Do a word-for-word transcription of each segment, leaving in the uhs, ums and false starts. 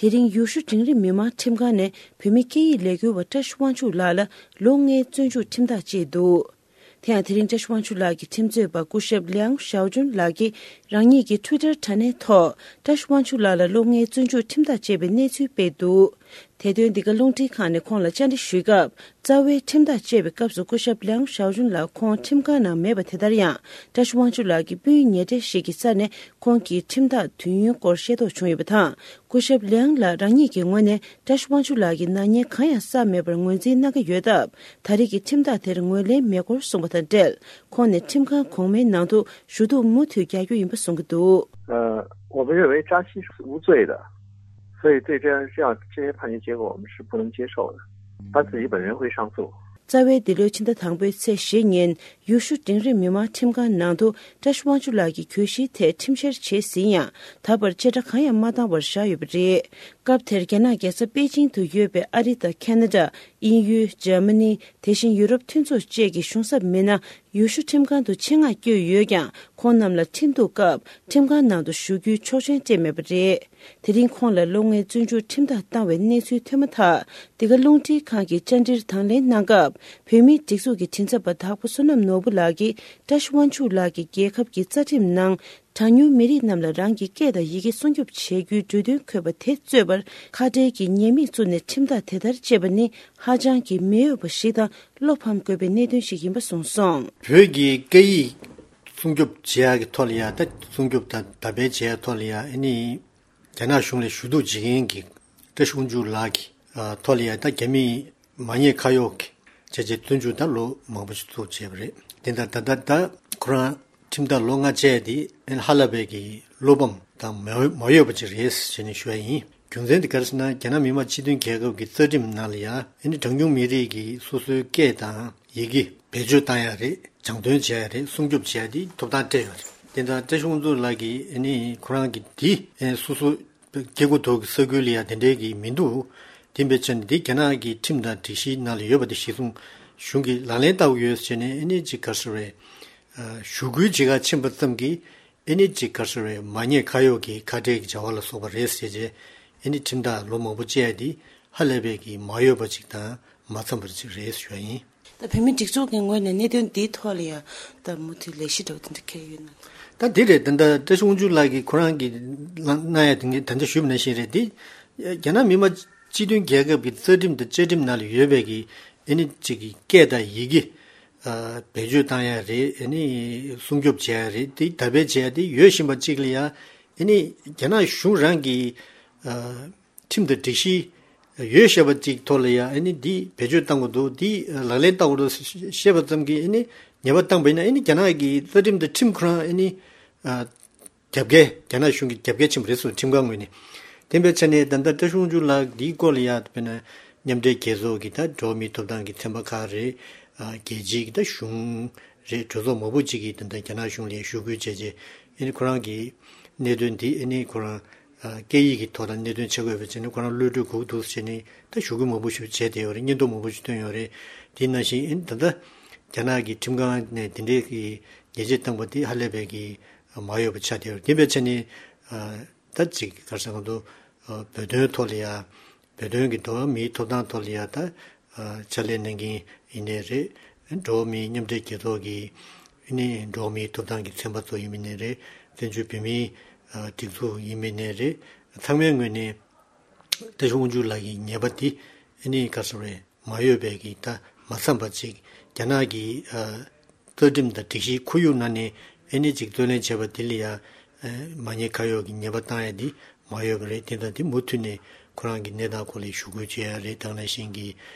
དེ་རིང་ཡུལ་ཤུལ་འབྲིང་རིམ་མི་མང་ཁྲིམས་ཁང་ནས་བོད་མི་སྐད་ཡིག་ལས་འགུལ་བ་བཀྲ་ཤིས་དབང་ཕྱུག་ལགས་ལ་ལོ་ལྔའི་བཙོན་འཇུག་ཁྲིམས་ཐག་བཅད་འདུག་དེ་ཡང་དེ་རིང་བཀྲ་ཤིས་དབང་ཕྱུག་ལགས་ཀྱི་ཁྲིམས་རྩོད་པ་སྐུ་ཞབས་ལིའང་ཞའོ་ཅུན་ལགས་ཀྱིས་རང་ཉིད་ཀྱི་ཊུའི་ཊར་དྲ་གནས་ཐོག་བཀྲ་ཤིས་དབང་ཕྱུག་ལགས་ལ་ལོ་ལྔའི་བཙོན་འཇུག་ཁྲིམས་ཐག་བཅད་པའི་གནས་ཚུལ་སྤེལ་འདུག་དེ་དོན་འདི་ག་རླུང་འཕྲིན་ཁང་ནས་ཁོང་ལ་བཅར་འདྲི་ཞུས་སྐབས། རྩ་བའི་ཁྲིམས་ཐག་བཅད་པའི་སྐབས་སུ་སྐུ་ཞབས་ལིའང་ཞའོ་ཅུན་ལགས་ཁོང་ཁྲིམས་ཁང་ནང་མེད་པ། དེ་ལྟར་ཡང་བཀྲ་ཤིས་དབང་ཕྱུག་ལགས་ཀྱི་སྤུན་ཉེ་གྲས་ཤིག་གི་རྩ་ནས་ཁོང་གི་ཁྲིམས་ཐག་དུས་ཡུན་སྐོར་ཤེས་རྟོགས་བྱུང་ཡོད་པ་དང་། སྐུ་ཞབས་ལིའང་ལགས་རང་ཉིད་ཀྱི་ངོས་ནས་བཀྲ་ཤིས་དབང་ཕྱུག་ལགས་ཀྱི་ནག་ཉེས་གང་ཡང་བསགས་མེད་པར་ངོས་འཛིན་གནང་གི་ཡོད་སྟབས། ད་རེས་ཀྱི་ཁྲིམས་ཐག་དེར་ངོས་ལེན་མེད་སྐོར་གསུངས་པ་དང་འབྲེལ། ཁོང་ནས་ཁྲིམས་ཁང་གོང་མའི་ནང་དུ་ཞུ་གཏུག་མུ་མཐུད་རྒྱག་རྒྱུ་ཡིན་པ་གསུངས་ཀྱི་འདུག 呃，我们认为扎西是无罪的，所以对这样这样这些判决结果我们是不能接受的。他自己本人会上诉。 རྩ་བའི་འདི་ལོའི་ཕྱི་ཟླ་དང་པོའི་ཚེས་བཞི་ཉིན་ཡུལ་ཤུལ་འབྲིང་རིམ་མི་མང་ཁྲིམས་ཁང་ནང་དུ་བཀྲ་ཤིས་དབང་ཕྱུག་ལགས་ཀྱི་གྱོད་གཞིའི་ཐད་ཁྲིམས་བཤེར་བྱས་ཟིན་ཡང་ད་བར་བཅད་ཁྲ་གང་ཡང་མ་བཏང་བར་བཞག་ཡོད་པ་རེད། སྐབས་དེར་རྒྱ་ནག་རྒྱལ་ས་པེ་ཅིང་དུ་ཡོད་པའི་ཨ་རི་དང་ཁ་ན་ཌ། དབྱིན་ཡུལ། འཇར་མ་ནི། དེ་བཞིན་ཡུ་རོབ་མཐུན་ཚོགས་བཅས་ཀྱི་གཞུང་ཚབ་མི་སྣ་ཡུལ་ཤུལ་ཁྲིམས་ཁང་དུ་ཆེད་མངགས་བསྐྱོད་ཡོད་ཀྱང་ཁོང་རྣམས་ལ་ཁྲིམས་གཏུག་སྐབས་ཁྲིམས་ཁང་ནང་དུ་ཞུགས་རྒྱུའི་ཆོག་མཆན་སྤྲད་མེད་པ་རེད། དེ་རིང་ཁོང་ལ་ལོ་ལྔའི་བཙོན་འཇུག་ཁྲིམས་ཐག་བཏང་བའི་གནས་ཚུལ་ཐོན་མ་ཐག་འདི་ག་རླུང་འཕྲིན་ཁང་གིས་བཅར་འདྲིར་དང་ལེན་གནང་སྐབས། བོད་མིའི་སྒྲིག་འཛུགས་ཀྱི་མགྲིན་ཚབ་པ་དྭགས་པོ་བསོད་ནམས་ནོར་བུ་ལགས་ཀྱིས་བཀྲ་ཤིས་དབང་ཕྱུག་ལགས་ཀྱིས་རྒྱལ་ཁབ་ཀྱི་རྩ་ཁྲིམས་ནང་གྲངས་ཉུང་མི་རིགས་རྣམས་ལ་རང་གི་སྐད་དང་ཡི་གེ་སྲུང་སྐྱོབ་བྱེད་རྒྱུའི་འབྲུ་དོན་འཁོད་པ་དེ་རྩོད་པར་ཁ་བྲལ་གྱི་ཉེས་དམིགས་བཙུགས་ནས་ཁྲིམས་ཐག་དེ་ལྟར་བཅད་པ་ནི་ཧ་ཅང་གི་མི་འོས་པ་ཞིག་དང་བློ་ཕམ་དགོས་པའི་གནད་དོན་ཞིག་ཡིན་པ་གསུངས་སོང་། བོད་ཀྱི་སྐད་ཡིག་སྲུང་སྐྱོབ་བྱེད་ཡག་གི་ཐོག་ལ་ཡ་ད་སྲུང་སྐྱོབ་དང་དར་སྤེལ་བྱེད་ཡག་ཐོག་ལ་ཡ་ཨ་ནི། རྒྱ་ནག་གཞུང་ལ་ཞུ་གཏུག་བྱེད་མཁན་གྱི་བཀྲ་ཤིས་དབང་ཕྱུག་ལགས་ཀྱི་ཐོག་ལ་ཡང་ད་རྒྱ་མིའི་མ་ཉེས་ཁ་གཡོག་གི་བྱས་རྗེས་བཙོན་འཇུག་ད་ལོ་མང་པོ་ཞིག་ཚུགས་བྱས་པ་རེད། དེ་ལྟར་ད་ལྟ་ད་ཁོ་རང་ཁྲིམས་ཐག་ལོ་ལྔ་བཅད་དེ་ཧ་ལས་པའི་གི་བློ་ཕམ་དང་མ་མ་འོས་པ་ཅིག་རེད་ཟེར་ནས་ཞུ་ཡ་ཡིན། རྒྱུ་མཚན་དེ་ག་རེ་ཟེར་ན་རྒྱ་ནག་མི་དམངས་སྤྱི་མཐུན་རྒྱལ་ཁབ་ཀྱི་རྩ་ཁྲིམས་ནང་ལ་ཡང་ཨ་ནི་གྲངས་ཉུང་མི་རིགས་ཀྱི་སོ་སོའི་སྐད་དང་ཡི་གེ་བེད་སྤྱོད་བཏང་ཡ་རེད། སྦྱང་འདོན་བྱས་རེད། སྲུང་སྐྱོབ་བྱས་དེ་ཐོབ་ཐང་སྤྲད་ཡོད་རེད། དེ་འདྲ་བཀྲ་ཤིས་དབང་ཕྱུག་ལགས་ཀྱིས་ཨ་ནི་ཁོ་རང་གི་དེ་སོ་སོ་སྐྱེ་དགུ་ཐོག་གི་ས་ཁུལ་ལ་ཡང་དེ་འདྲའི་གི་མི་འདུག་དེ་འབད་ཆ་ནས་དེ་རྒྱ་ནག་གི་ཁྲིམས་དང་སྒྲིག་གཞིའི་ནང་ལ་ཡོད་པ་དེ་གཞི་བཟུང་གཞུང་གིས་ལག་ལེན་བསྟར་གྱི་ཡོད་ཟེར་ནས་ཨ་ནི་ཅིག་ག་རེ་ཟེར་བས་ཞུ་སྐུལ་བྱེད་ག་ཕྱིན་པ་ཙམ་གྱིས་ཨ་ནི་ཅིག་ག་རེ་ཟེར་བས་མ་ཉེས་ཁ་གཡོག་གི་ཁ་བྲལ་གྱི་བྱ་བ་ལ་སོགས་པ་རེད་ཟེར་རྗེས་ཨ་ནི་ཁྲིམས་ཐག་ལོ་མང་པོ་བཅད་དེ་ཧ་ལས་པའི་གི་མ་འོས་པ་ཅིག་དང་མ་འཚམས་པ་ཅིག་རེད་ཞུ་བ་ཡིན། ད་བོད་མིའི་སྒྲིག་འཛུགས་ཀྱི་ངོས་ནས་གནད་དོན་འདིའི་ཐོག་ལ་ཡང་ད་མུ་མཐུད་ལས་གཞི་འདྲ་བོ་དེ་འདྲ་འཁྱེར་ཡོད་ན། ད་འདི་རེད། ད་ལྟ་བཀྲ་ཤིས་དབང་ཕྱུག་ལགས་ཀྱིས་ཁོ་རང་གིས་གནང་ཡ་དེ་འདྲ་ད་ལྟ་ཞུས་པ་ནང་བཞིན་རེད་དེ། རྒྱ་ནག་མི་དམངས་སྤྱི་མཐུན་རྒྱལ་ཁབ་ཀྱི་རྩ་ཁྲིམས་དང་བཅའ་ཁྲིམས་ནང་ལ་ཡོད་པའི་གི་ཨ་ནི་ཅིག་གི་སྐད་དང་ཡི་གེ་བེད་སྤྱོད་བཏང་ཡ་རེད། ཨ་ནི་སྲུང་སྐྱོབ་བྱེད་ཡ་རེད། དེ་དར་སྤེལ་བྱེད་ཡ་དེ་ཡོད་བཞིན་པ་ཅིག་ལ་ཡ་ཨ་ནི་རྒྱ་ནག་གཞུང་རང་གིས། ཁྲིམས་དང་སྒྲིག་གཞི་ཡོད་བཤད་པ་ཅིག་ཐོག་ལ་ཡང་ཨ་ནི་འདི་བེད་སྤྱོད་བཏང་དགོས་འདུག་འདི་ལག་ལེན་བསྟར་དགོས་འདུག་བཤད་པ་ཙམ་གྱིས་ཨ་ནི་ཉེས་པ་བཏང་པ་ཡིན་ན་ཨ་ནི་རྒྱ་ནག་གི་རྩ་ཁྲིམས་དང་ཁྲིམས་ཁོ་རང་ཨ་ནི་རྒྱབ་འགལ་རྒྱ་ནག་གཞུང་གི་རྒྱབ་འགལ་ཕྱིན་པ་རེད་གསུངས། ཁྲིམས་ཁང་ངོས་ནས། དེ་འབད་ཆ་ནས་ད་ལྟ་བཀྲ་ཤིས་དབང་ཕྱུག་ལགས་འདིའི་སྐོར་ལ་ཡང་དཔེར་ན་མཉམ་འབྲེལ་རྒྱལ་ཚོགས་ཀྱི་ད་འགྲོ་བ་མིའི་ཐོབ་ཐང་གི་ཚན་པ་ཁག་རེད། རྒྱལ་སྤྱིའི་གི་ད་གཞུང་རེད། གྲོས་ཚོགས་མང་པོ་ཅིག་གིས་ད་ལྟ་རྒྱ་ནག་གཞུང་ལ་ཞུ་སྐུལ་བྱས་རྗེས་ཨ་ནི་ཁོ་རང་གི་གནད་དོན་འདི་ཨ་ནི་ཁོ་རང་སྐད་ཡིག་གི་ཐོག་ལ་གནད་དོན་ཆགས་ཡོད་པའི་ཆ་ནས་ཁོ་རང་གློད་གྲོལ་དགོས་འདུག་ཟེར་ནས་ད་ཞུ་སྐུལ་མང་པོ་ཞིག་བྱས་བསྡད་ཡོད་རེད། སྙན་ཐོ་མང་པོ་ཞིག་བཏོན་ཡོད་རེད། དེ་ནང་བཞིན་ཨ་ནི་ད་ལྟ་རྒྱ་ནག་གི་ཁྲིམས་ཁང་ནས་དེ་འདྲའི་གི་ཉེས་ཆད་བཏང་པ་དེ་ཧ་ལས་པའི་གི་མ་འོས་པ་ཆགས་བསྡད་ཡོད་རེད། དེ་འབད་ཆ་ནས་ད་ཅིག་ག་རེ་ཟེར་གི་འདུག་བོད་དོན་ཐོག་ལ་ཡ། བོད་དོན་གྱི་འགྲོ་བ་མིའི་ཐོབ་ཐང་ཐོག་ལ་ཡ་ད་ཕྱག་ལས་གནང་མཁན་ཡིན་ནའི་རེད། འགྲོ་བ་མིའི་མཉམ་འབྲེལ་རྒྱལ་ཚོགས་ཀྱི་ཨ་ནི་འགྲོ་བ་མིའི་ཐོབ་ཐང་གི་ཚན་པ་ཚོ་ཡིན་མིན་ནའི་རེད། བཙན་བྱོལ་བོད་མིའི་སྒྲིག་འཛུགས་ཡིན་མིན་ནའི་རེད། ཚང་མའི་ངོས་ནས་བཀྲ་ཤིས་དབང་ཕྱུག་ལགས་ཀྱི་ཉེས་པ་འདི་ཨ་ནི་ག་རེ་ཟེར་བས་མ་འོས་པའི་གི་ད་མ་འཚམས་པ་ཅིག་རྒྱ་ནག་གི་རྩ་ཁྲིམས་དང་སྒྲིག་གཞིའི་ཁོར་ཡུག་ནང་ནས་ཨ་ནི་ཅིག་རྩོད་ལེན་བྱས་པ་དེ་ལ་ཡང་མ་ཉེས་ཁ་གཡོག་གི་ཉེས་པ་བཏང་ཡ་འདི་མ་འོས་པ་རེད། དེ་དང་དེ་མུ་མཐུད་ནས་ཁོ་རང་གི་གནས་སྟངས་སྐོར་ལ་ཞུ་སྐུལ་བྱེད་ཡ་རེད། ད་ག་ནང་བཞིན་གྱི་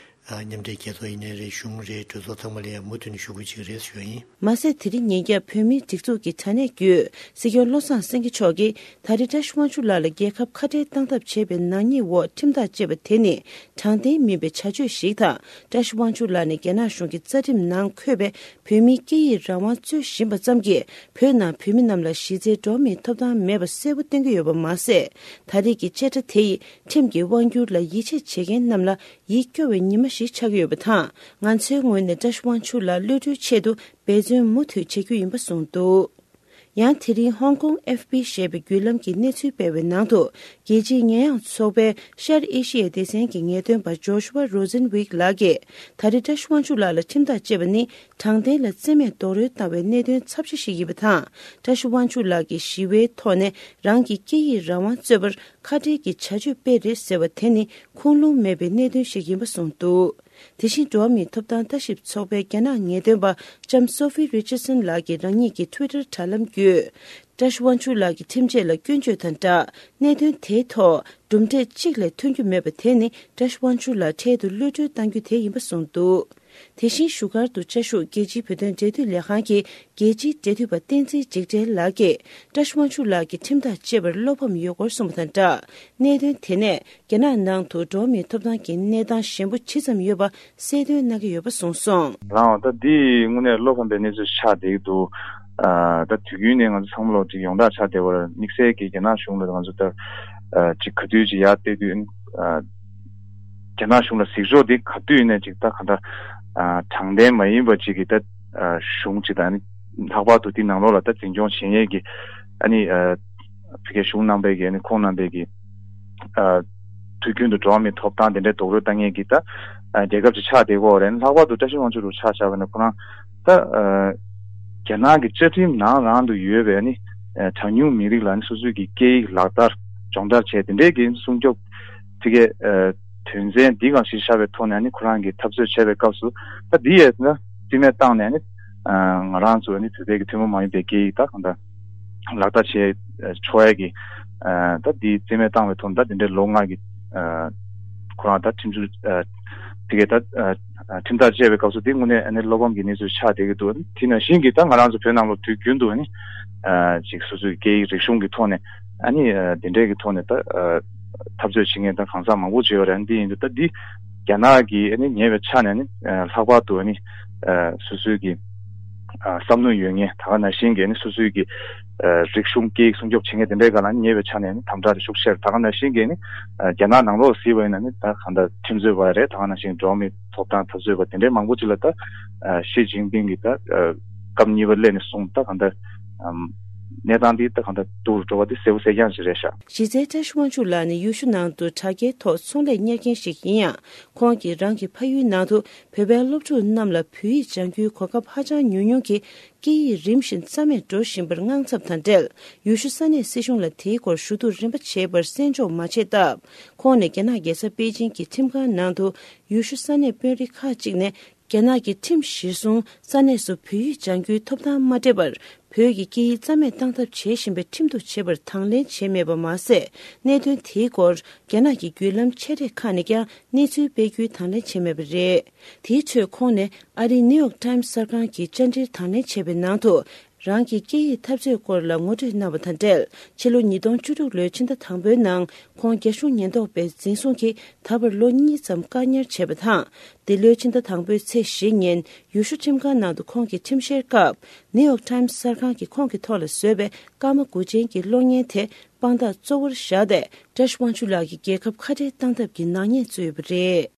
མཉམ་འབྲེལ་རྒྱལ་ཚོགས་ཡིན་ནའི་རེད། གཞུང་རེད། གྲོས་ཚོགས་ཚང་མ་ལ་ཡང་མུ་མཐུད་ནས་ཞུ་སྐུལ་བྱེད་ཀྱི་རེད་ཞུ་བ་ཡིན། མ་ཟད་དེ་རིང་ཉིན་རྒྱབ་བོད་མིའི་སྒྲིག་འཛུགས་ཀྱི་དྲ་གནས་བརྒྱུད་སྲིད་སྐྱོང་བློ་བཟང་སེང་གེ་མཆོག་གིས་ད་རེས་བཀྲ་ཤིས་དབང་ཕྱུག་ལགས་ལ་རྒྱལ་ཁབ་ཁ་བྲལ་བཏང་ཐབས་བྱས་པའི་ནག་ཉེས་འོག་ཁྲིམས་ཐག་བཅད་པ་དེ་ནི་དྲང་བདེན་མིན་པའི་བྱ་སྤྱོད་ཞིག་དང་། བཀྲ་ཤིས་དབང་ཕྱུག་ལགས་ནས་རྒྱ་ནག་གཞུང་གི་རྩ་ཁྲིམས་ནང་འཁོད་པའི་བོད་མིའི་སྐད་ཡིག་རང་དབང་རྩོད་བཞིན་པ་ཙམ་གྱིས་བོད་ནང་བོད་མི་རྣམས་ལ་གཞི་རྩའི་འགྲོ་བ་མིའི་ཐོབ་ཐང་མེད་པ་གསལ་པོ་སྟོན་གྱི་ཡོད་པ་མ་ཟད། ད་རེས་ཀྱི་བཅད་ཁྲ་དེ་ཡིས་ཁྲིམས་ཀྱི་དབང་སྒྱུར་ལ་ཡིད་ཆེས་བྱེད་མཁན་རྣམས་ལ་ཡིད་སྐྱོ་བའི་ཉི་མ་ཞིག་ཆགས་ཀྱི་ཡོད་པ་དང་། ང་ཚོའི་ངོས་ནས་བཀྲ་ཤིས་དབང་ཕྱུག་ལགས་གློད་གྲོལ་ཆེད་དུ་འབད་བརྩོན་མུ་མཐུད་བྱེད་རྒྱུ་ཡིན་པ་གསུངས་འདུག་ཡང་དེ་རིང་ཧོང་ཀོང་ཨེཕ་པི་ཞེས་པའི་བརྒྱུད་ལམ་གྱིས་གནས་ཚུལ་སྤེལ་བའི་ནང་དུ། རྒྱལ་སྤྱིའི་ཉེས་ཡངས་ཚོགས་པའི་ཤར་ཨེ་ཤི་ཡའི་སྡེ་ཚན་གྱི་ངེས་སྟོན་པ་ཇོ་ཤུ་ཝ་རོ་ཛན་ཝིག་ལགས་ཀྱིས། ད་རེས་བཀྲ་ཤིས་དབང་ཕྱུག་ལགས་ལ་ཁྲིམས་ཐག་བཅད་པ་ནི། དྲང་བདེན་ལ་བརྩི་མེད་རྡོག་རོལ་བཏང་བའི་གནད་དོན་ཚབས་ཆེ་ཞིག་ཡིན་པ་དང་། བཀྲ་ཤིས་དབང་ཕྱུག་ལགས་ཀྱིས་ཞི་བའི་ཐོག་ནས་རང་གི་སྐད་ཡིག་རང་དབང་རྩོད་པར་ཁ་བྲལ་གྱི་བྱ་སྤྱོད་སྤེལ་རེད་ཟེར་བ་དེ་ནི་ཁུངས་ལུང་མེད་པའི་གནད་དོན་ཞིག་ཡིན་པ་གསུངས་འདུག་དེ་བཞིན་འགྲོ་བ་མིའི་ཐོབ་ཐང་ལྟ་ཞིབ་ཚོགས་པའི་རྒྱ་ནག་ངེས་སྟོན་པ་ལྕམ་སོ་ཧྥི་རི་ཅར་སན་ལགས་ཀྱིས་རང་ཉིད་ཀྱི་ཊུའི་ཊར་དྲ་ལམ་བརྒྱུད། བཀྲ་ཤིས་དབང་ཕྱུག་ལགས་ཀྱི་ཁྲིམས་ཆད་ལ་སྐྱོན་བརྗོད་དང་སྦྲགས། གནད་དོན་དེའི་ཐོག་གྲུབ་འབྲས་གཅིག་ལས་ཐོན་རྒྱུ་མེད་པ་དེ་ནི་བཀྲ་ཤིས་དབང་ཕྱུག་ལགས་འཕྲལ་དུ་གློད་གྲོལ་གཏང་རྒྱུ་དེ་ཡིན་པ་གསུངས་འདུག་དེ་བཞིན་བཞུགས་སྒར་དུ་བཅའ་བཞུགས་རྒྱལ་སྤྱིའི་བོད་དོན་འབྲེལ་མཐུད་ལས་ཁང་གི་རྒྱལ་སྤྱིའི་འབྲེལ་མཐུད་པ་བསྟན་འཛིན་འཇིགས་བྲལ་ལགས་ཀྱིས་བཀྲ་ཤིས་དབང་ཕྱུག་ལགས་ཀྱི་ཁྲིམས་ཐག་བཅད་པར་བློ་ཕམ་ཡོད་སྐོར་གསུངས་པ་དང་སྦྲགས། གནད་དོན་དེ་ནས་རྒྱ་ནག་ནང་དུ་འགྲོ་བ་མིའི་ཐོབ་ཐང་གི་གནས་སྟངས་ཞན་པོ་ཇི་ཙམ་ཡོད་པ་གསལ་སྟོན་གནང་གི་ཡོད་པ་གསུངས་སོང་། རང་ད་འདི་དངོས་གནས་བློ་ཕམ་པའི་གནས་ཚུལ་ཆགས་བསྡད་ཀྱི་འདུག་ཨ་ད་དུས་རྒྱུན་ནས་ང་ཚོ་ཚང་མ་ལོག་ཅིག་ཡོངས་གྲགས་ཆགས་བསྡད་པར་དམིགས་བསལ་གྱི་རྒྱ་ནག་གཞུང་ལ་ང་ཚོ་ད་ཨ་ཅིག་ག་དུས་ཅིག་ཡར་བལྟས་དུས་ཨ་རྒྱ་ནག་གཞུང་ལ་གཟིགས་ཕྱོགས་འདི་ག་དུས་ཡིན་ནའི་ཅིག་ད་ག་འདྲ་ཨ་དྲང་བདེན་མ་ཡིན་པ་ཅིག་གི་ད་ཨ་གཞུང་ཅིག་དང་ཨ་ནི་ལྷག་པར་དུ་འདི་ནང་ལོགས་ལ་ད་འཛིན་སྐྱོང་བྱེད་མཁན་གྱི་ཨ་ནི་ཨ་ཕ་གིའི་གཞུང་རྣམ་པའི་གི་ཨ་ནི་ཁོང་རྣམ་པའི་གི་ཨ་དུས་རྒྱུན་དུ་འགྲོ་བ་མིའི་ཐོབ་ཐང་དེ་འདྲའི་རྡོག་རོལ་བཏང་མཁན་གྱི་ད་ཨ་རྒྱལ་ཁབ་ཅིག་ཆགས་བསྡད་ཀྱི་ཡོད་རེད། ལྷག་པར་དུ་བཀྲ་ཤིས་དབང་ཕྱུག་ལུ་ཆ་བཞག་པ་ན་ཁོ་རང་ད་ཨ་རྒྱ་ནག་གི་བཅའ་ཁྲིམས་ནང་རང་དུ་ཡོད་པའི་ཨ་ནི་ཨ་གྲངས་ཉུང་མི་རིགས་ལ་ཨ་ནི་སོ་སོའི་གི་སྐད་ཡིག་ལག་བསྟར་སྦྱོང་བརྡར་བྱས་དེ་འདྲའི་གི་སྲུང་སྐྱོབ་ཕ་གིའི་ཨ་དོན་ཚན་འདི་གང་གཞི་བཞག་པའི་ཐོག་ནས་ཨ་ནི་ཁོ་རང་གི་འཐབ་རྩོད་བྱས་པའི་སྐབས་སུ་ད་འདི་ཡས་ན་རྩིས་མེད་བཏང་ནས་ཨ་ནི་ཨ་ང་རང་ཚོ་ཨ་ནི་བོད་པའི་གི་ཐུན་མོང་མ་ཡིན་པའི་སྐད་ཡིག་ད་གང་ལྟར་ལག་བསྟར་བྱེད་ཆོག་ཡ་གི་ཨ་ད་འདི་རྩིས་མེད་བཏང་བའི་ཐོག་ནས་ད་དེ་འདྲའི་ལོ་ལྔ་གི་ཨ་ཁོ་རང་ད་ཁྲིམས་གཅོད་ཨ་དེ་གའི་ད་ཨ་ཁྲིམས་ཐག་བཅད་པའི་སྐབས་སུ་དེ་དངོས་གནས་ཨ་ནི་བློ་ཕམ་གྱི་གནས་ཚུལ་ཆགས་བསྡད་ཀྱི་འདུག་དེ་ནང་བཞིན་གྱི་ད་ང་རང་ཚོ་བོད་ནང་ལོགས་དུས་རྒྱུན་དུ་ཨ་ནི་ཨ་ཅིག་སོ་སོའི་སྐད་ཡིག་རིག་གཞུང་གི་ཐོག་ནས་ཨ་ནི་ཨ་དེ་འདྲའི་གི་ཐོག་ནས་ད་ཨ་འཐབ་རྩོད་བྱེད་མཁན་ད་གང་ཟག་མང་པོ་ཅིག་ཡོད་རེད། ཨ་ནི་དེ་ཡིན་དུས་ད་འདི་རྒྱ་ནག་གིས་ཨ་ནི་ཉེ་བའི་ཆ་ནས་ཨ་ནི་ཨ་ལྷག་པར་དུ་ཨ་ནི་ཨ་སོ་སོའི་གི་ཨ་བསམ་བློ་ཡོད་མཁན་ད་ག་ནང་བཞིན་གྱི་ཨ་ནི་སོ་སོའི་གི་ཨ་རིག་གཞུང་སྐད་ཡིག་སྲུང་སྐྱོབ་བྱེད་མཁན་དེ་འདྲའི་སྒང་ལ་ཨ་ནི་ཉེ་བའི་ཆ་ནས་ཨ་ནི་དམ་དྲག་དེ་ཤུགས་ཆེར་ད་ག་ནང་བཞིན་གྱི་ཨ་ནི་ཨ་རྒྱ་ནག་ནང་ལོགས་གཟིགས་པ་ཡིན་ན་ཨ་ནི་ད་གང་ལྟར་ཁྲིམས་རྩོད་པ་རེད། ད་ག་ནང་བཞིན་འགྲོ་བ་མིའི་ཐོབ་ཐང་འཐབ་རྩོད་པ་དེ་འདྲའི་མང་པོ་ཅིག་ལ་ད་ཨ་ཞི་ཅིན་ཕིང་གིས་ད་ཨ་སྐབས་གཉིས་པ་སླེབས་ནས་བཟུང་ད་གང་ལྟར་ཨམ་གནས་སྟངས་འདི་ད་གང་ལྟར་སྡུག་རུ་འགྲོ་བ་འདི་གསལ་པོ་གསལ་རྐྱང་ཞིག་རེད་ཤག་གཞི་རྩའི་བཀྲ་ཤིས་དབང་ཕྱུག་ལགས་ནི་ཡུལ་ཤུལ་ནང་དུ་དྲ་རྒྱའི་ཐོག་ཚོང་ལས་གཉེར་མཁན་ཞིག་ཡིན་ཡང་། ཁོང་གིས་རང་གི་ཕ་ཡུལ་ནང་དུ་བོད་པའི་སློབ་ཕྲུག་རྣམས་ལ་བོད་ཡིག་སྦྱང་རྒྱུའི་གོ་སྐབས་ཧ་ཅང་ཉུང་ཉུང་གིས་སྐད་ཡིག་རིམ་བཞིན་རྩ་མེད་འགྲོ་བཞིན་པར་དངངས་འཚབ་དང་འབྲེལ། ཡུལ་ཤུལ་ས་གནས་སྲིད་གཞུང་ལ་དེའི་སྐོར་ཞུ་གཏུག་རིམ་པ་བྱེད་པར་གསན་འཇོག་མ་བྱས་སྟབས། ཁོང་ནས་རྒྱ་ནག་རྒྱལ་ས་པེ་ཅིང་གི་ཁྲིམས་ཁང་ནང་དུ་ཡུལ་ཤུལ་ས་གནས་དཔོན་རིགས་ཁག་ཅིག་ནས། རྒྱ་ནག་གི་ཁྲིམས་གཞིར་བཟུང་ས་གནས་སུ་བོད་ཡིག་སྦྱང་རྒྱུའི་ཐོབ་ཐང་མ་སྤྲད་པར། བོད་ཀྱི་སྐད་ཡིག་རྩ་མེད་བཏང་ཐབས་བྱེད་བཞིན་པའི་ཁྲིམས་གཏུག་བྱེད་པར་དང་ལེན་བྱས་མེད་པ་མ་ཟད། གནད་དོན་དེའི་སྐོར་རྒྱ་ནག་གི་བརྒྱུད་ལམ་ཆེ་གྲས་ཁག་ནས་ཀྱང་གནས་ཚུལ་སྤེལ་རྒྱུའི་དང་ལེན་བྱས་མེད་པ་རེད། དེའི་ཁྲོད་ཁོང་ནས་ཨ་རིའི་ནིའུ་ཡོག་ཊའིམ་གསར་ཁང་གི་བཅར་འདྲིར་དང་ལེན་བྱས་པའི་ནང་དུ། རང་གི་སྐད་ཡིག་འཐབ་རྩོད་སྐོར་ལ་ངོ་སྤྲོད་གནང་བ་དང་འབྲེལ། ཕྱི་ལོ་ཉིས་སྟོང་བཅུ་དྲུག་ལོའི་ཕྱི་ཟླ་དང་པོའི་ནང་ཁོང་རྒྱ་གཞུང་ཉེན་རྟོག་པས་འཛིན་བཟུང་གིས་ད་བར་ལོ་གཉིས་ཙམ་བཀག་ཉར་བྱས་པ་དང་། འདི་ལོའི་ཕྱི་ཟླ་དང་པོའི་ཚེས་བཞི་ཉིན་ཡུལ་ཤུལ་ཁྲིམས་ཁང་ནང་དུ་ཁོང་གི་ཁྲིམས་བཤེར་སྐབས། ནིའུ་ཡོག་ཊའིམ་གསར་ཁང་གིས་ཁོང་གི་ཐོག་ལ་བཟོས་པའི་སྐར་མ་དགུ་ཅན་གྱི་གློག་བརྙན་དེ་དཔང་རྟགས་གཙོ་བོར་བཞག་སྟེ། བཀྲ་ཤིས་དབང་ཕྱུག་ལགས་ཀྱི་རྒྱལ་ཁབ་ཁ་བྲལ་བཏང་ཐབས་ཀྱི་ནག་ཉེས་བཙུགས་ཡོད་པ་རེད།